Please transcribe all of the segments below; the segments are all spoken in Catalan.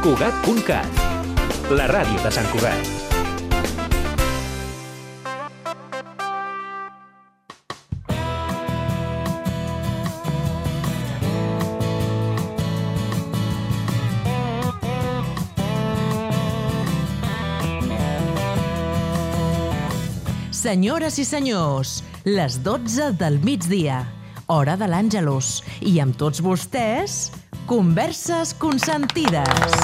Cugat.cat, la ràdio de Sant Cugat. Senyores i senyors, les 12 del migdia, hora de l'Àngelus, i amb tots vostès, Converses Consentides.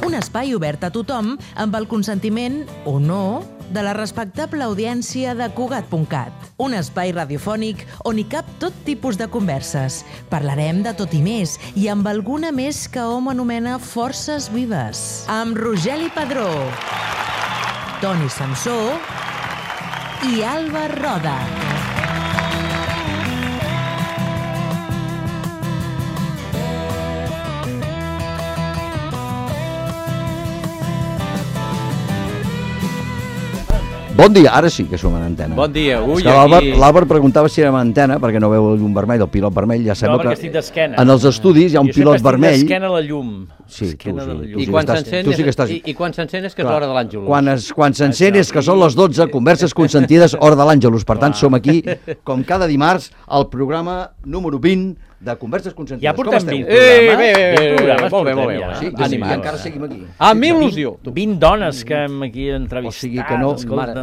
Un espai obert a tothom amb el consentiment, o no, de la respectable audiència de Cugat.cat. Un espai radiofònic on hi cap tot tipus de converses. Parlarem de tot i més, i amb alguna més que hom anomena forces vives. Amb Rogeli Padró, Toni Samsó i Alba Roda. Bon dia, ara sí que som en antena. Bon dia, ui, L'Àlvar preguntava si érem en antena, perquè no veu el llum vermell, el pilot vermell, ja sembla que... No, perquè estic d'esquena. En els estudis hi ha un pilot vermell... Jo sempre estic d'esquena a la llum. Sí, I quan s'encén és que és l'hora de l'Àngelus. Quan s'encén és que són les 12, Converses Consentides, hora de l'Àngelus. Per tant, som aquí, com cada dimarts, al programa número 20 de Converses Consentides. Ja portem 20 programes. Molt bé. Sí, i encara seguim aquí. Amb il·lusió. 20 dones que hem aquí entrevistat. O sigui que no...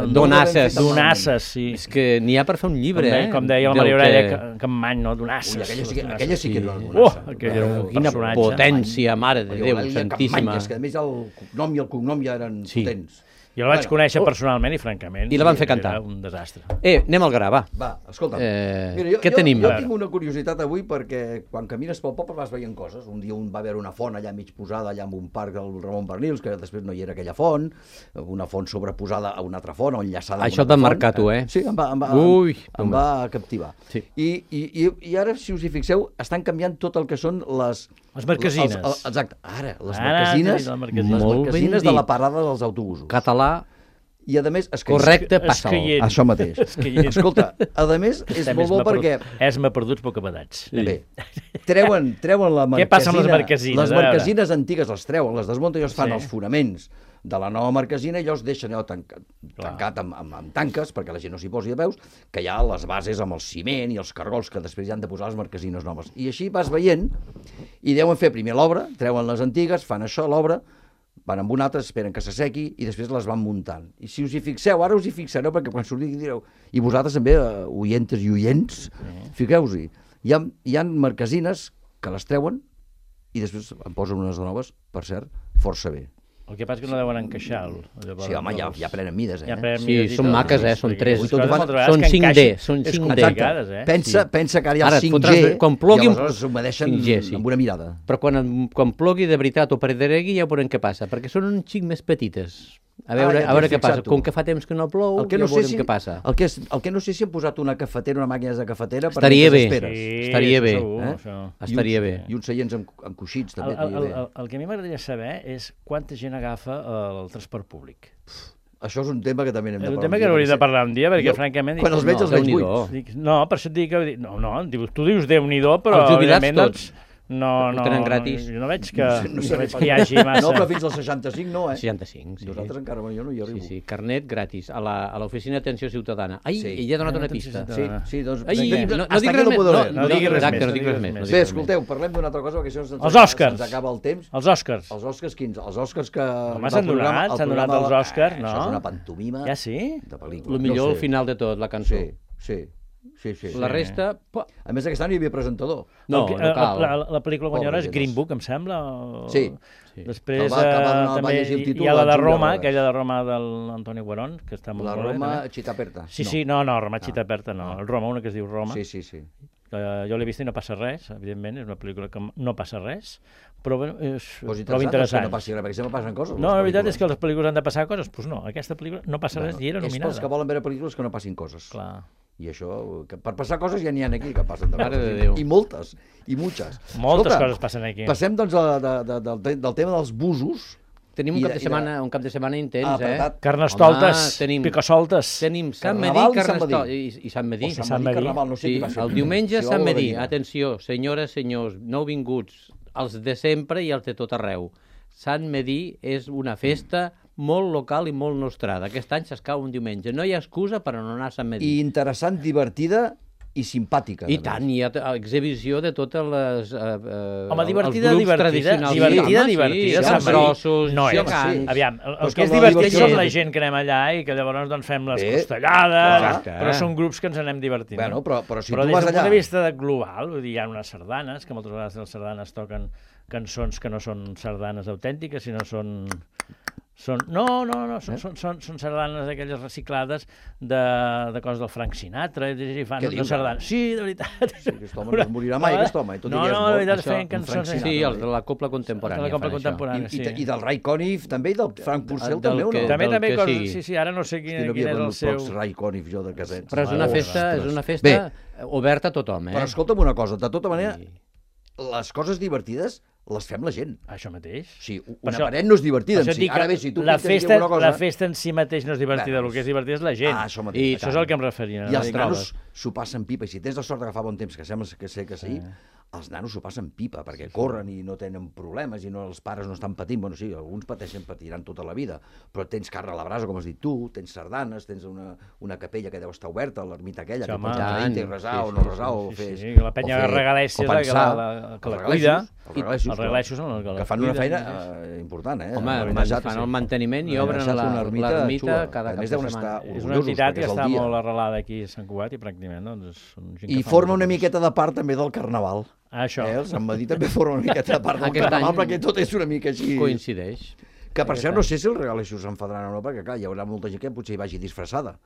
Donasses. Donasses, sí. És que n'hi ha per fer un llibre, Com deia la Maria Aurelia Campmany, no? Donasses. Aquella sí que era una donassa. Quina potència, mare de Déu, santíssima. És que a més el cognom i el cognom ja eren potents. Jo la vaig conèixer personalment i, francament, I la van fer cantar. Era un desastre. Anem al gra, va. Va, escolta'm. Què tenim? Jo tinc una curiositat avui perquè quan camines pel poble vas veient coses. Un dia va haver una font allà mig posada, allà en un parc del Ramon Bernils, que després no hi era aquella font, una font sobreposada a una altra font, o enllaçada a una altra font. Això t'ha marcat, tu, eh? Sí, em va captivar. Sí. I ara, si us hi fixeu, estan canviant tot el que són les marquesines. Exacte. Ara, les marquesines de la parada dels autobusos. Català. I a més... Correcte, passa-ho. Això mateix. Escolta, a més, és molt bo perquè... Esma perduts, poc abadats. Bé, treuen la marquesina... Què passa amb les marquesines? Les marquesines antigues les treuen, les desmunten i els fan els fonaments de la nova marquesina i llavors deixen allò tancat amb tanques, perquè la gent no s'hi posi de peus, que hi ha les bases amb el ciment i els cargols que després hi han de posar les marquesines noves. I així vas veient, i deuen fer primer l'obra, treuen les antigues, fan això, l'obra, van amb una altra, esperen que s'assequi i després les van muntant. I si us hi fixeu, ara us hi fixareu, perquè quan surti direu, i vosaltres també, oientes i oients, fiqueu-hi, hi ha marquesines que les treuen i després en posen unes de noves, per cert, força bé. El que passa és que no deuen encaixar. Sí, home, ja prenen mides, Sí, són maques, són 3. Són 5D, són 5D. Pensa que ara hi ha el 5G i aleshores s'humedeixen amb una mirada. Però quan plogui de veritat o pedregui ja veurem què passa, perquè són un xic més petites. A veure què passa. Com que fa temps que no plou, ja veurem què passa. El que no sé si han posat una cafetera, una màquina de cafetera... Estaria bé. Estaria bé. I uns seients amb coixins, també. El que a mi m'agradaria saber és quanta gent agafa el transport públic. Això és un tema que també n'hem de parlar. És un tema que hauríem de parlar un dia, perquè francament... Quan els veig els veig buits. No, per això et dic que... No, tu dius Déu-n'hi-do, però... Els jubilats tots. No, tenen gratis. Jo no veig que hi hagi massa. No, però fins als 65 no, 65, sí. Nosaltres encara, jo no hi arribo. Sí, carnet gratis, a l'oficina d'atenció ciutadana. Ai, ell ha donat una pista. Sí, doncs... No dic res més. Bé, escolteu, parlem d'una altra cosa, perquè això se'ns acaba el temps. Els Oscars. Els Oscars quins? Els Oscars que... Home, s'han donat els Oscars, no? Això és una pantomima de pel·lícula. El millor al final de tot, la cançó. Sí. La resta... A més, aquest any hi havia presentador. No cal. La pel·lícula guanyadora és Green Book, em sembla. Sí. Després també hi ha la de Roma, aquella de Roma de l'Antoni Guarón, que està molt bé. La Roma Città Aperta. Sí, no, Roma Città Aperta no. El Roma, una que es diu Roma. Sí. Jo l'he vist i no passa res, evidentment, és una pel·lícula que no passa res, però és prou interessant. No passi res, perquè sempre passen coses. No, la veritat és que les pel·lícules han de passar coses, doncs no, aquesta pel·lícula no passa res i era nominada. És pels que volen veure pel·lícules que no passin coses. Clar. I això, per passar coses ja n'hi ha aquí que passen de Mare de Déu. I moltes, i muchas. Moltes coses passen aquí. Passem doncs del tema dels busos. Tenim un cap de setmana intens, Carnestoltes, picasoltes. Tenim Sant Medí i Sant Medí. Sant Medí, Carnaval, no sé qui va ser. El diumenge Sant Medí. Atenció, senyores, senyors, nouvinguts, els de sempre i els de tot arreu. Sant Medir és una festa molt local i molt nostrada. Aquest any s'escau un diumenge. No hi ha excusa per no anar a Sant Medir. I interessant, divertida i simpàtica. I tant, hi ha exhibició de totes les... Home, divertida. Sí, grossos, no és. Aviam, el que és divertit som la gent que anem allà i que llavors doncs fem les costellades, però són grups que ens anem divertint. Bueno, però si tu vas allà... Però des del punt de vista global, vull dir, hi ha unes sardanes, que moltes vegades les sardanes toquen cançons que no són sardanes autèntiques, sinó són sardanes aquelles reciclades de coses del Frank Sinatra, i fan una sardana. Sí, de veritat. Sí, aquest home no es morirà mai, aquest home. No, de veritat, feien cançons... Sí, els de la Copla Contemporània. I del Ray Conniff, també, i del Frank Purcell, també, o no? També, sí, ara no sé quin és el seu... Pocs Ray Conniff, jo, de casets. Però és una festa oberta a tothom, Però escolta'm una cosa, de tota manera, les coses divertides les fem la gent. Això mateix. Sí, una paret no és divertida en si. Ara bé, si tu la festa en si mateix no és divertida, el que és divertit és la gent. Això mateix. I això és el que em referia. I els nanos s'ho passen pipa. I si tens la sort d'agafar bon temps, que sembla que sé que sí, els nanos s'ho passen pipa, perquè corren i no tenen problemes i els pares no estan patint. Bueno, sí, alguns patiran tota la vida, però tens carn a la brasa, com has dit tu, tens sardanes, tens una capella que deu estar oberta, l'ermita aquella, que pots anar i resar o no resar, o fer... Sí, la penya regalèssia que la cuida. Els regaleixos són els que la cuida. Que fan una feina important, Home, fan el manteniment i obren l'ermita cada cap de setmana. És una entitat que està molt arrelada aquí a Sant Cugat i pràcticament són gent que fa... I forma una miqueta de part també del carnaval. Això. El Sant Medir també forma una miqueta de part del carnaval, perquè tot és una mica així... Coincideix. Que per cert no sé si els regaleixos s'enfadaran o no, perquè clar, hi haurà molta gent que potser hi vagi disfressada.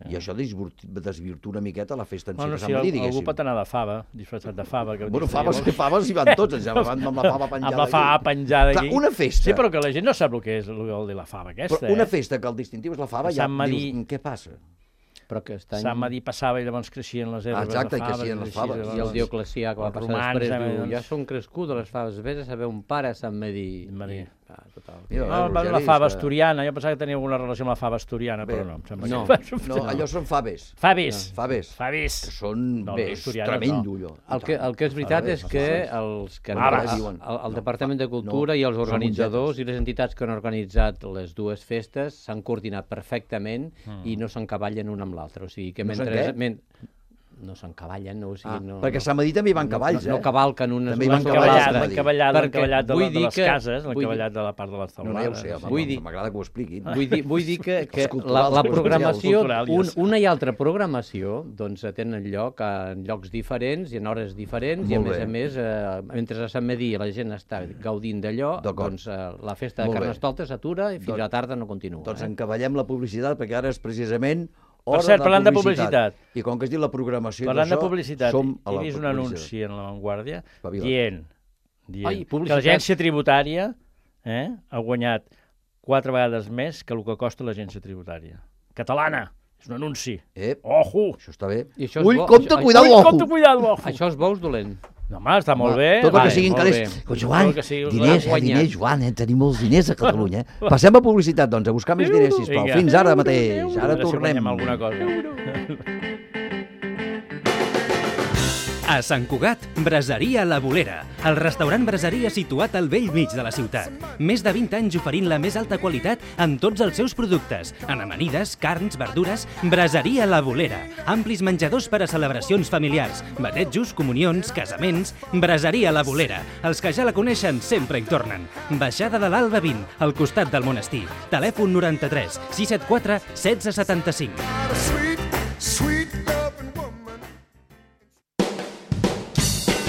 I això desvirtua una miqueta la festa en si de Sant Medir, diguéssim. Algú pot anar de fava, disfressat de fava. Bueno, faves hi van tots, van amb la fava penjada. Amb la fava penjada aquí. Una festa... Sí, però que la gent no sap el que és la fava aquesta. Però una festa que el distintiu és la fava, ja dius, què passa? Però que Sant Medir passava i llavors creixien les herbes de faves. Exacte, i creixien les faves. I el Dioclecià, que va passar després, diu, ja són crescudes les faves, vés a saber un pare a Sant Medir. La fava asturiana, jo pensava que tenia alguna relació amb la fava asturiana, però no. No, allò són faves. Faves. Que són, bé, és tremendo, allò. El que és veritat és que el Departament de Cultura i els organitzadors i les entitats que han organitzat les dues festes s'han coordinat perfectament i no s'encavallen una amb l'altra. O sigui que mentre... No s'encavallen, no, o sigui... No, perquè a Sant Medir també hi van cavalls, No cavalquen unes... També hi van cavalls. L'encavallat de les cases, l'encavallat de la part de les taulades. No, ja ho sé, m'agrada que ho expliquin. Vull dir que la programació, una i altra programació, doncs tenen lloc en llocs diferents i en hores diferents, i a més, mentre a Sant Medir la gent està gaudint d'allò, doncs la festa de Carnestoltes s'atura i fins a la tarda no continua. Doncs encavallem la publicitat, perquè ara és precisament... Per cert, parlant de publicitat. I com que has dit la programació i parlant de publicitat, he vist un anunci en La Vanguardia dient que l'agència tributària ha guanyat 4 vegades més que el que costa l'agència tributària. Catalana! És un anunci. Ojo! Això està bé. Ull, compte, cuidado, ojo! Això és bous dolent. No, home, està molt bé. Tot el que siguin calés. Joan, diners, Joan, tenim molts diners a Catalunya. Passem a publicitat, doncs, a buscar més diners, sisplau. Fins ara mateix. Ara tornem. Alguna cosa. A Sant Cugat, Braseria La Bolera, el restaurant braseria situat al bell mig de la ciutat. Més de 20 anys oferint la més alta qualitat en tots els seus productes. En amanides, carns, verdures, Braseria La Bolera. Amplis menjadors per a celebracions familiars, batejos, comunions, casaments. Braseria La Bolera. Els que ja la coneixen sempre hi tornen. Baixada de l'Alba 20, al costat del monestir. Telèfon 93 674 1675.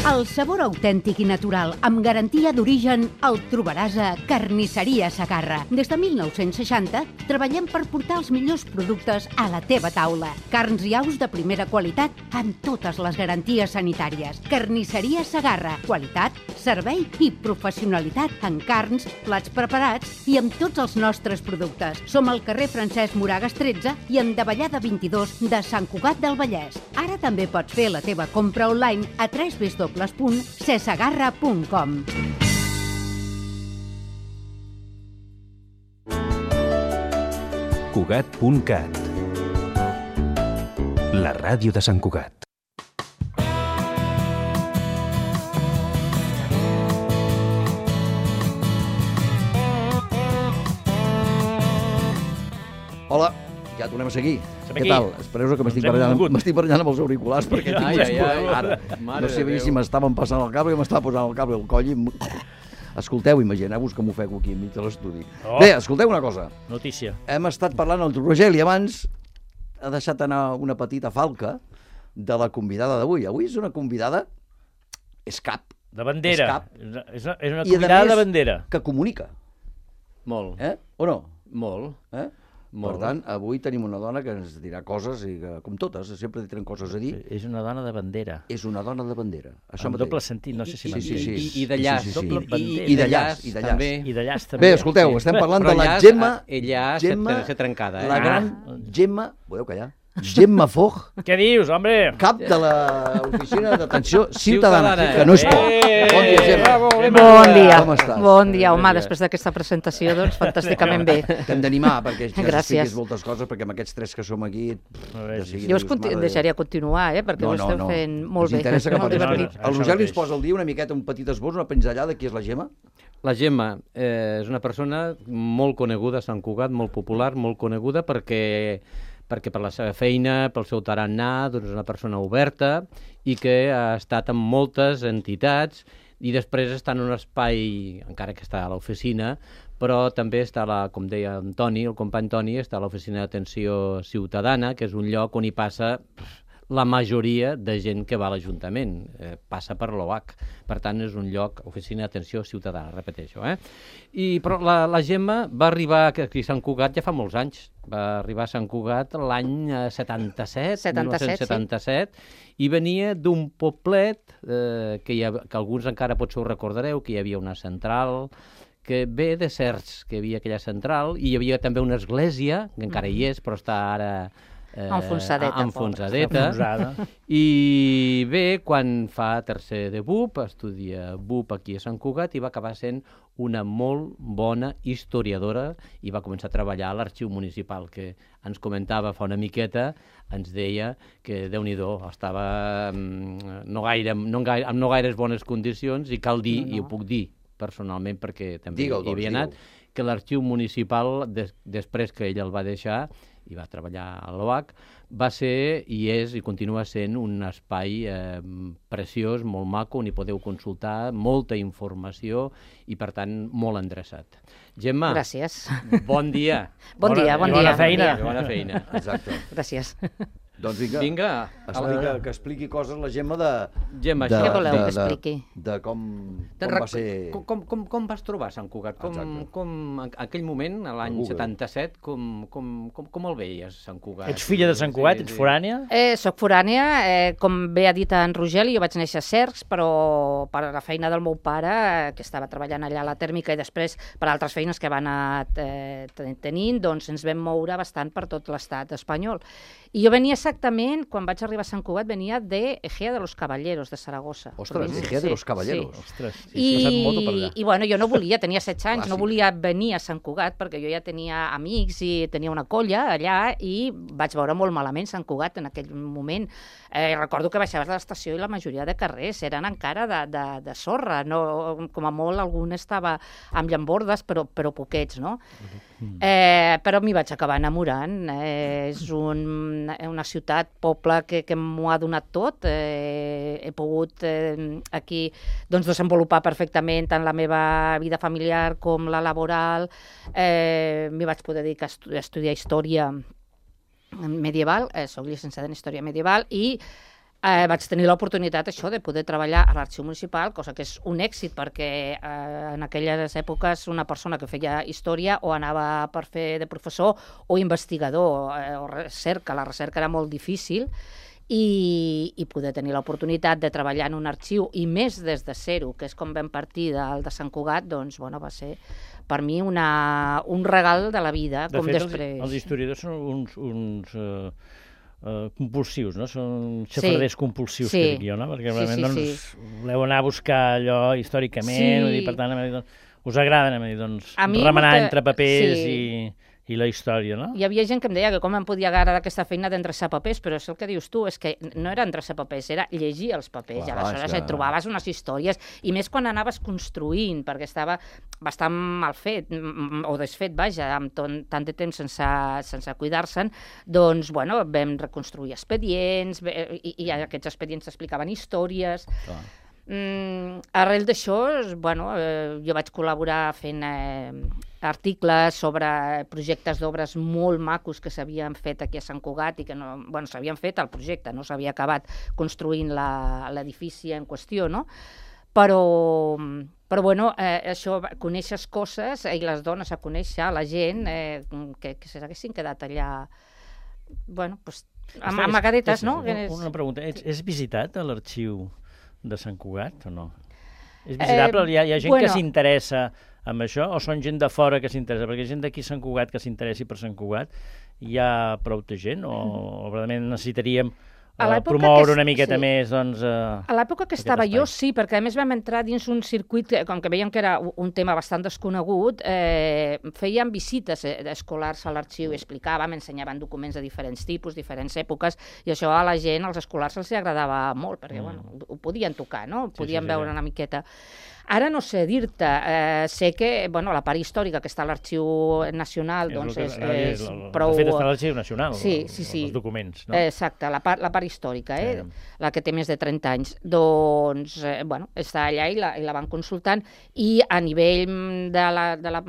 El sabor autèntic i natural, amb garantia d'origen, el trobaràs a Carnisseria Segarra. Des de 1960 treballem per portar els millors productes a la teva taula. Carns i aus de primera qualitat amb totes les garanties sanitàries. Carnisseria Segarra. Qualitat, servei i professionalitat en carns, plats preparats i amb tots els nostres productes. Som al carrer Francesc Moragas 13 i en Davallada 22 de Sant Cugat del Vallès. Ara també pots fer la teva compra online a www.cesegarra.com. Cugat.cat, la ràdio de Sant Cugat. Ja tornem a seguir. Què tal? Espereu que m'estic barallant amb els auriculars perquè no sé si m'estaven passant el cable i m'estava posant el cable al coll i... Escolteu, imagineu-vos que m'ofego aquí enmig de l'estudi. Bé, escolteu una cosa. Notícia. Hem estat parlant el Rogeli abans, ha deixat anar una petita falca de la convidada d'avui. Avui és una convidada escap. De bandera. És una convidada de bandera. Que comunica. Molt. O no? Molt. Per tant, avui tenim una dona que ens dirà coses, i que, com totes, sempre tenen coses a dir. És una dona de bandera. És una dona de bandera. Amb doble sentit, no sé si m'entens. I de llaç. I de llaç. I de llaç també. Bé, escolteu, estem parlant de la Gemma... Ella s'ha trencada. La gran Gemma... Podeu callar? Gemma Foch. Què dius, home? Cap de l'Oficina d'Atenció Ciutadana, que no és poc. Bon dia, Gemma. Bon dia. Com estàs? Bon dia, home, després d'aquesta presentació, doncs, fantàsticament bé. T'hem d'animar, perquè ja expliquis moltes coses, perquè amb aquests tres que som aquí... Jo us deixaria continuar, perquè ho esteu fent molt bé. Ens interessa que parlis. El Rogeli ens posa al dia una miqueta, un petit esbós, una pinzellada, qui és la Gemma? La Gemma és una persona molt coneguda a Sant Cugat, molt popular, molt coneguda, perquè per la seva feina, pel seu tarannà, doncs és una persona oberta i que ha estat en moltes entitats i després està en un espai, encara que està a l'oficina, però també està, com deia en Toni, el company Toni, està a l'Oficina d'Atenció Ciutadana, que és un lloc on hi passa la majoria de gent que va a l'Ajuntament, passa per l'OAC. Per tant, és un lloc, Oficina d'Atenció Ciutadana, repeteixo. Però la Gemma va arribar aquí a Sant Cugat ja fa molts anys. Va arribar a Sant Cugat l'any 1977, i venia d'un poblet que alguns encara potser ho recordareu, que hi havia una central, que ve de Cercs, que hi havia aquella central, i hi havia també una església, que encara hi és, però està ara... enfonsadeta. I bé, quan fa tercer de BUP, estudia BUP aquí a Sant Cugat i va acabar sent una molt bona historiadora i va començar a treballar a l'Arxiu Municipal, que ens comentava fa una miqueta, ens deia que Déu-n'hi-do, estava no gaires bones condicions, i cal dir, i ho puc dir personalment perquè també hi havia anat, que l'Arxiu Municipal, després que ell el va deixar i va treballar a l'OAC, va ser i és i continua sent un espai preciós, molt maco, on hi podeu consultar molta informació i, per tant, molt endreçat. Gemma, gràcies. Bon dia. Bon dia. Bona feina. Bona feina. Exacte. Gràcies. Doncs vinga, que expliqui coses la Gemma de... Gemma, què voleu que expliqui? De com va ser... Com vas trobar Sant Cugat? Com en aquell moment, a l'any 77, com el veies, Sant Cugat? Ets filla de Sant Cugat? Ets forània? Soc forània, com bé ha dit en Rogeli, jo vaig néixer a Cercs, però per la feina del meu pare, que estava treballant allà a la tèrmica, i després per altres feines que va anar tenint, doncs ens vam moure bastant per tot l'estat espanyol. I jo venia exactament, quan vaig arribar a Sant Cugat, venia de Ejea de los Caballeros, de Saragossa. Ostres, Ejea de los Caballeros. Ostres, I bueno, jo no volia, tenia 16 anys, no volia venir a Sant Cugat perquè jo ja tenia amics i tenia una colla allà i vaig veure molt malament Sant Cugat en aquell moment. Recordo que baixaves de l'estació i la majoria de carrers eren encara de sorra, com a molt algun estava amb llambordes, però poquets, no? Però m'hi vaig acabar enamorant. És una ciutat, poble que m'ho ha donat tot. He pogut aquí desenvolupar perfectament tant la meva vida familiar com la laboral. M'hi vaig poder dedicar a estudiar història medieval, soc llicenciada en història medieval, i vaig tenir l'oportunitat de poder treballar a l'Arxiu Municipal, cosa que és un èxit perquè en aquelles èpoques una persona que feia història o anava per fer de professor o investigador o recerca. La recerca era molt difícil i poder tenir l'oportunitat de treballar en un arxiu i més des de zero, que és com vam partir del de Sant Cugat, doncs va ser per mi un regal de la vida. De fet, els historiadors són uns compulsius, no? Són xafarders compulsius, que dic jo, no? Perquè realment voleu anar a buscar allò històricament, per tant, us agrada remenar entre papers i I la història, no? Hi havia gent que em deia que com em podia agradar aquesta feina d'endreçar papers, però és el que dius tu, és que no era endreçar papers, era llegir els papers, i aleshores et trobaves unes històries, i més quan anaves construint, perquè estava bastant mal fet, o desfet, vaja, amb tant de temps sense cuidar-se'n, doncs, bueno, vam reconstruir expedients, i aquests expedients explicaven històries. Arrel d'això, bueno, jo vaig col·laborar fent articles sobre projectes d'obres molt macos que s'havien fet aquí a Sant Cugat i que no, bueno, s'havien fet el projecte, no s'havia acabat construint l'edifici en qüestió, no? Però bueno, això, coneixes coses i les dones a conèixer, la gent que s'haguessin quedat allà, bueno, doncs, amagadetes, no? Una pregunta, és visitat a l'arxiu de Sant Cugat o no? És visitable? Hi ha gent que s'interessa amb això o són gent de fora que s'interessa? Perquè gent d'aquí a Sant Cugat que s'interessi per Sant Cugat hi ha prou de gent o realment necessitaríem promoure una miqueta més, doncs... A l'època que estava jo, sí, perquè a més vam entrar dins un circuit, com que veiem que era un tema bastant desconegut, fèiem visites escolars a l'arxiu, explicaven, ensenyaven documents de diferents tipus, diferents èpoques, i això a la gent, als escolars, els agradava molt, perquè, bueno, ho podien tocar, no? Podien veure una miqueta. Ara no sé dir-te, sé que la part històrica que està a l'Arxiu Nacional doncs és prou... De fet, està a l'Arxiu Nacional, els documents, no? Exacte, la part històrica, la que té més de 30 anys. Doncs, està allà i la van consultant, i a nivell de la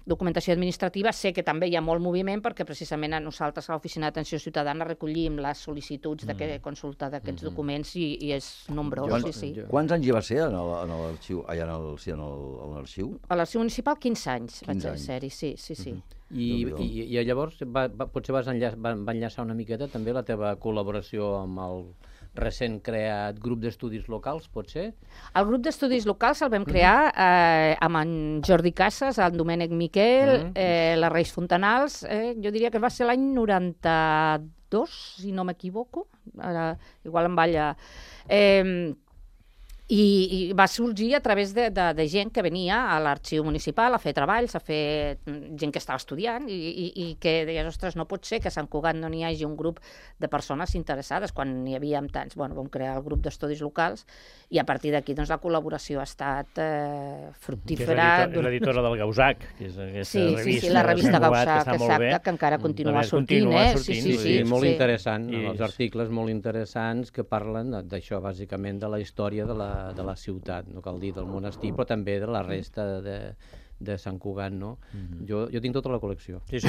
documentació administrativa sé que també hi ha molt moviment, perquè precisament nosaltres a l'Oficina d'Atenció Ciutadana recollim les sol·licituds de consulta d'aquests documents i és nombrós, sí. Quants anys hi va ser en l'arxiu? Allà en l'arxiu? A l'arxiu municipal 15 anys vaig ser-hi, sí. I llavors potser va enllaçar una miqueta també la teva col·laboració amb el recent creat grup d'estudis locals, pot ser? El grup d'estudis locals el vam crear amb en Jordi Casas, en Domènec Miquel, la Reis Fontanals, jo diria que va ser l'any 92, si no m'equivoco, igual em balla... I va sorgir a través de gent que venia a l'arxiu municipal a fer treballs, a fer gent que estava estudiant i que deies, ostres, no pot ser que a Sant Cugat no n'hi hagi un grup de persones interessades quan n'hi havíem tants. Bueno, vam crear el grup d'estudis locals i a partir d'aquí doncs, la col·laboració ha estat fructífera. Que és l'editora del Gausac, que és aquesta revista. Sí, la revista Gausac, exacte, que encara continua sortint. Sí, molt interessant, els articles molt interessants que parlen d'això, bàsicament, de la història de la ciutat, no cal dir del monestir, però també de la resta de Sant Cugat, no? Jo tinc tota la col·lecció. Sí, jo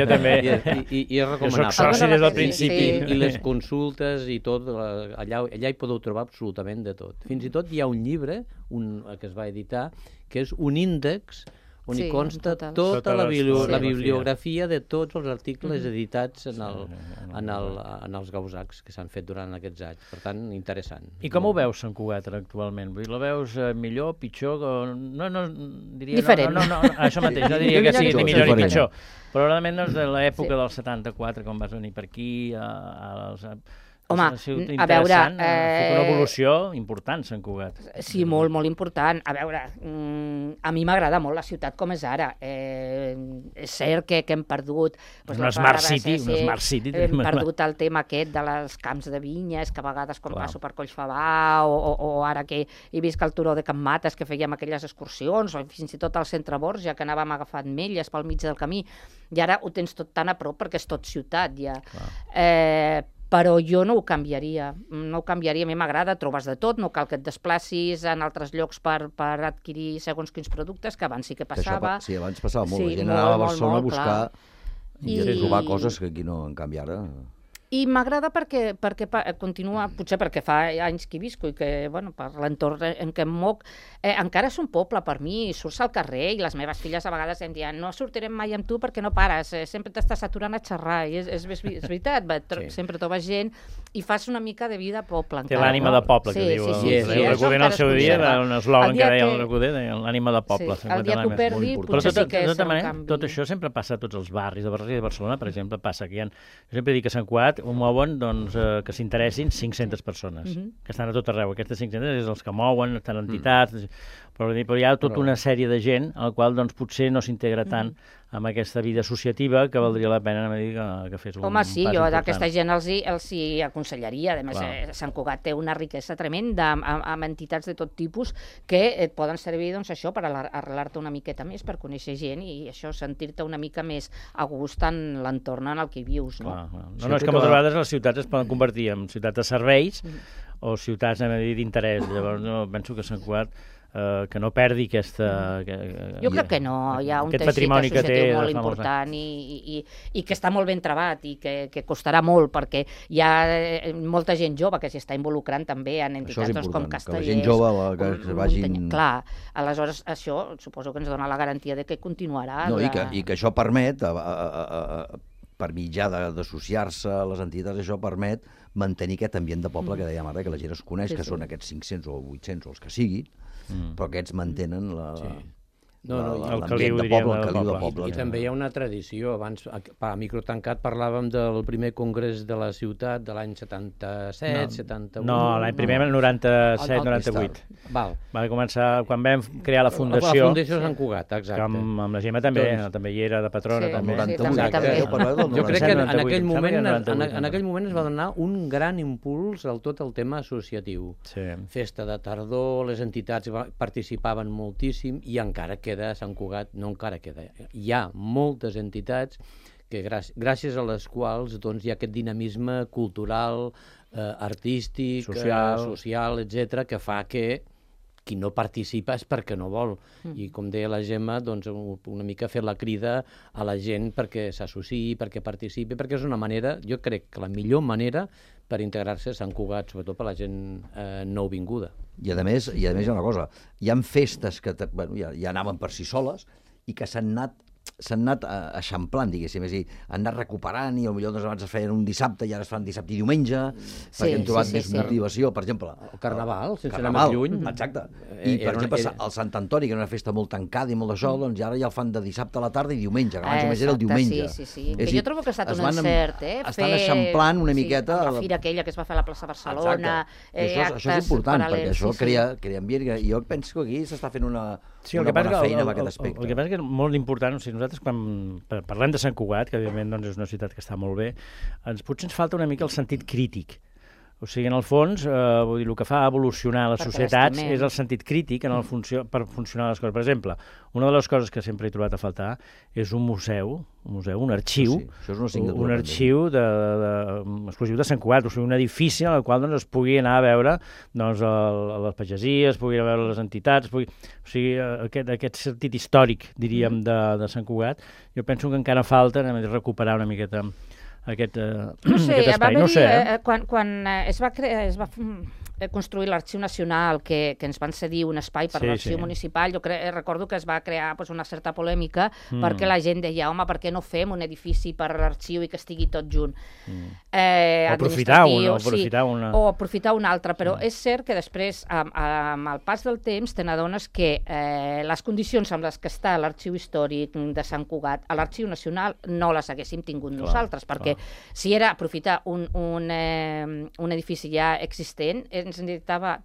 també. I és recomanable. Jo soc soci des del principi. I les consultes i tot, allà hi podeu trobar absolutament de tot. Fins i tot hi ha un llibre que es va editar, que és un índex on hi consta tota la bibliografia de tots els articles editats en els Gausacs que s'han fet durant aquests anys. Per tant, interessant. I com ho veus, Sant Cugat, actualment? La veus millor, pitjor? No, diria... Diferent. No, això mateix, no diria que sigui ni millor ni pitjor. Però realment de l'època del 74, quan vas venir per aquí, home, a veure... Ha fet una evolució important, Sant Cugat. Sí, molt, molt important. A veure, a mi m'agrada molt la ciutat com és ara. És cert que hem perdut... Una Smart City. Hem perdut el tema aquest de les camps de vinyes, que a vegades quan passo per Collfabà, o ara que he vist el turó de Can Mates, que fèiem aquelles excursions, o fins i tot al centre Borja, que anàvem agafant melles pel mig del camí, i ara ho tens tot tan a prop perquè és tot ciutat, ja. Però jo no ho canviaria, a mi m'agrada, trobes de tot, no cal que et desplacis en altres llocs per adquirir segons quins productes, que abans sí que passava. Sí, abans passava molt, la gent anava a Barcelona a buscar i a trobar coses que aquí no, en canvi ara... I m'agrada perquè continua, potser perquè fa anys que hi visco i que, bueno, per l'entorn en què em moc, encara és un poble per mi, surts al carrer i les meves filles a vegades em diuen no sortirem mai amb tu perquè no pares, sempre t'estàs aturant a xerrar, i és veritat, sempre trobes gent i fas una mica de vida a poble. Té l'ànima de poble, que diu el Recoder en el seu dia, un eslògan que deia el Recoder, l'ànima de poble. El dia que ho perdi, potser sí que és un canvi. Tot això sempre passa a tots els barris de Barcelona, per exemple, passa que hi ha, jo sempre dic que a Sant Cugat ho mouen que s'interessin 500 persones, que estan a tot arreu. Aquestes 500 és els que mouen, estan entitats, però hi ha tota una sèrie de gent al qual potser no s'integra tant amb aquesta vida associativa que valdria la pena que fes un pas important. Jo d'aquesta gent els hi aconsellaria. A més, Sant Cugat té una riquesa tremenda amb entitats de tot tipus que et poden servir, doncs, això, per arrelar-te una miqueta més, per conèixer gent i això, sentir-te una mica més a gust en l'entorn en el que vius, no? No, és que moltes vegades les ciutats es poden convertir en ciutats de serveis o ciutats d'interès. Llavors, penso que Sant Cugat que no perdi aquesta... Jo crec que no, hi ha un teixit associatiu molt important i que està molt ben trebat i que costarà molt perquè hi ha molta gent jove que s'hi està involucrant també en entitats com Castellers. Que la gent jove que vagin... Clar, aleshores això suposo que ens dona la garantia de que continuarà. No, i que això permet, per mitjà d'associar-se a les entitats, això permet mantenir aquest ambient de poble que dèiem ara, que la gent es coneix, que són aquests 500 o 800 o els que siguin, però aquests mantenen l'ambient de poble, el caliu de poble. I també hi ha una tradició. Abans, a Microtancat, parlàvem del primer congrés de la ciutat de l'any 77, 78... No, l'any primer, el 97-98. Va començar quan vam crear la fundació. La fundació de Sant Cugat, exacte. Amb la Gemma també hi era de patrona. Jo crec que en aquell moment es va donar un gran impuls al tot el tema associatiu. Festa de tardor, les entitats participaven moltíssim i encara queda a Sant Cugat, no encara queda, hi ha moltes entitats que gràcies a les quals hi ha aquest dinamisme cultural, artístic, social, etc., que fa que qui no participa és perquè no vol. I com deia la Gemma, una mica fer la crida a la gent perquè s'associï, perquè participi, perquè és una manera, jo crec que la millor manera per integrar-se a Sant Cugat, sobretot per la gent nouvinguda. I a més hi ha una cosa, hi ha festes que ja anaven per si soles i que s'han anat eixamplant, diguéssim, és a dir, han anat recuperant i potser abans es feien un dissabte i ara es fan dissabte i diumenge, perquè han trobat més motivació, per exemple. El Carnaval, sense anar més lluny. Exacte. I, per exemple, el Sant Antoni, que era una festa molt tancada i molt d'això, doncs ara ja el fan de dissabte a la tarda i diumenge, que abans només era el diumenge. Sí. Que jo trobo que ha estat un encert, estan eixamplant una miqueta... La fira aquella que es va fer a la plaça Barcelona... Això és important, perquè això crea ambient. Jo penso que aquí s'està fent una bona feina en aquest aspecte. El que passa que és molt important, nosaltres quan parlem de Sant Cugat, que evidentment és una ciutat que està molt bé, potser ens falta una mica el sentit crític. O sigui, en el fons, vull dir, el que fa evolucionar les societats és el sentit crític per funcionar les coses. Per exemple, una de les coses que sempre he trobat a faltar és un museu, un arxiu, un arxiu exclusiu de Sant Cugat, o sigui, un edifici en el qual es pugui anar a veure les pagesies, pugui anar a veure les entitats, o sigui, aquest sentit històric, diríem, de Sant Cugat. Jo penso que encara falta recuperar una miqueta aquest espai. No sé, quan es va construir l'Arxiu Nacional, que ens van cedir un espai per l'Arxiu Municipal, recordo que es va crear una certa polèmica perquè la gent deia, home, per què no fem un edifici per l'arxiu i que estigui tot junt? O aprofitar un altre, però és cert que després, amb el pas del temps, te n'adones que les condicions amb les que està l'Arxiu Històric de Sant Cugat a l'Arxiu Nacional no les haguéssim tingut nosaltres, perquè si era aprofitar un edifici ja existent, ens necessitava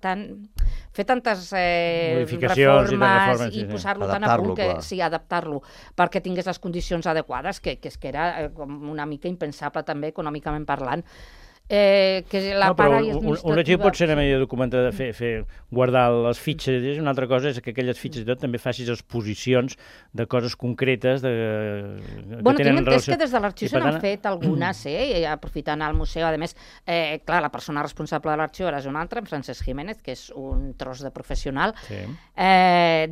fer tantes reformes i posar-lo tan a punt que adaptar-lo perquè tingués les condicions adequades, que era una mica impensable també econòmicament parlant. Un arxiu pot ser una manera documentada de guardar les fitxes, i una altra cosa és que aquelles fitxes i tot també facis exposicions de coses concretes que tenen relació. És que des de l'arxiu se n'han fet algunes, aprofitant el museu. A més, clar, la persona responsable de l'arxiu era un altre, Francesc Jiménez, que és un tros de professional,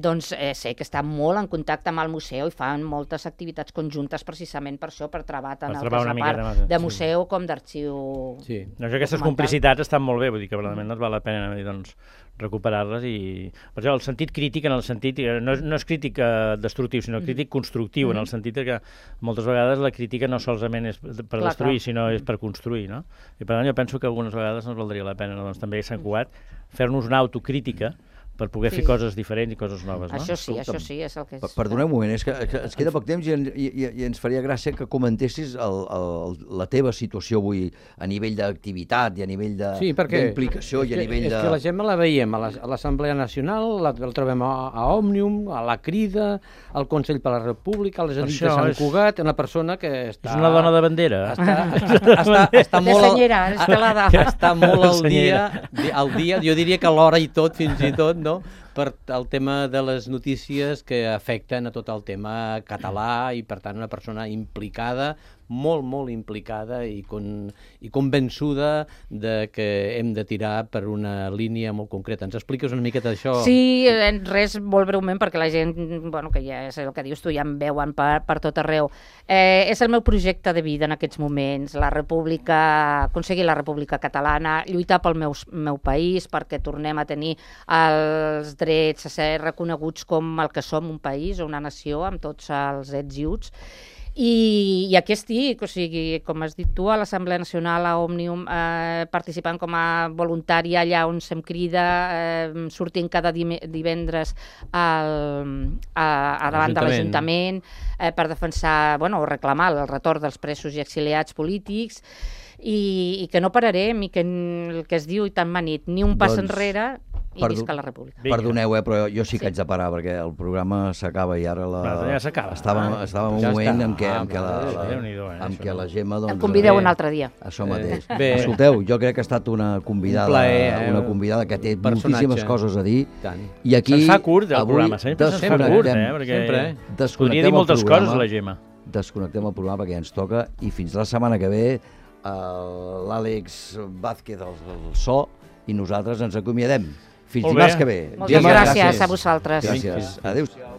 doncs sé que està molt en contacte amb el museu i fan moltes activitats conjuntes precisament per això, per treballar tant el que és la part de museu com d'arxiu. Sí, aquestes complicitats estan molt bé, vull dir que verdaderament no val la pena recuperar-les i... Per exemple, el sentit crític, en el sentit... No és crític destructiu, sinó crític constructiu, en el sentit que moltes vegades la crítica no solament és per destruir, sinó és per construir, no? I per tant jo penso que algunes vegades ens valdria la pena, també a Sant Cugat, fer-nos una autocrítica per poder fer coses diferents i coses noves, no? Això sí, és el que és. Perdoneu un moment, és que ens queda poc temps i ens faria gràcia que comentessis la teva situació avui a nivell d'activitat i a nivell d'implicació i a nivell de... És que la Gemma la veiem a l'Assemblea Nacional, la trobem a Òmnium, a la Crida, al Consell per la República, a les Edits de Sant Cugat, una persona que està... És una dona de bandera. Està molt al dia, jo diria que a l'hora i tot, fins i tot, no? Per el tema de les notícies que afecten a tot el tema català i, per tant, una persona implicada, molt implicada i convençuda de que hem de tirar per una línia molt concreta. Ens expliques una miqueta d'això? Sí, res, molt breument, perquè la gent, bueno, que ja és el que dius tu, ja em veuen per tot arreu. És el meu projecte de vida en aquests moments, aconseguir la República Catalana, lluitar pel meu país, perquè tornem a tenir els drets a ser reconeguts com el que som, un país o una nació, amb tots els ets i uts. I aquí estic, o sigui, com has dit tu, a l'Assemblea Nacional, a Òmnium, participant com a voluntària allà on se'm crida, sortint cada divendres davant de l'Ajuntament per defensar, o reclamar el retorn dels presos i exiliats polítics, i que no pararem, i que el que es diu i tan manit, ni un pas enrere, i visca la República. Perdoneu, però jo sí que haig de parar, perquè el programa s'acaba i ara estava en un moment en què la Gemma... Em convideu un altre dia. Això mateix. Escolteu, jo crec que ha estat una convidada que té moltíssimes coses a dir. I aquí... Se'ns fa curt el programa, sempre se'ns fa curt, perquè podria dir moltes coses la Gemma. Desconnectem el programa perquè ens toca, i fins la setmana que ve l'Àlex Vázquez del so i nosaltres ens acomiadem. Fins dimarts que ve. Moltes gràcies a vosaltres. Gràcies. Adéu-siau.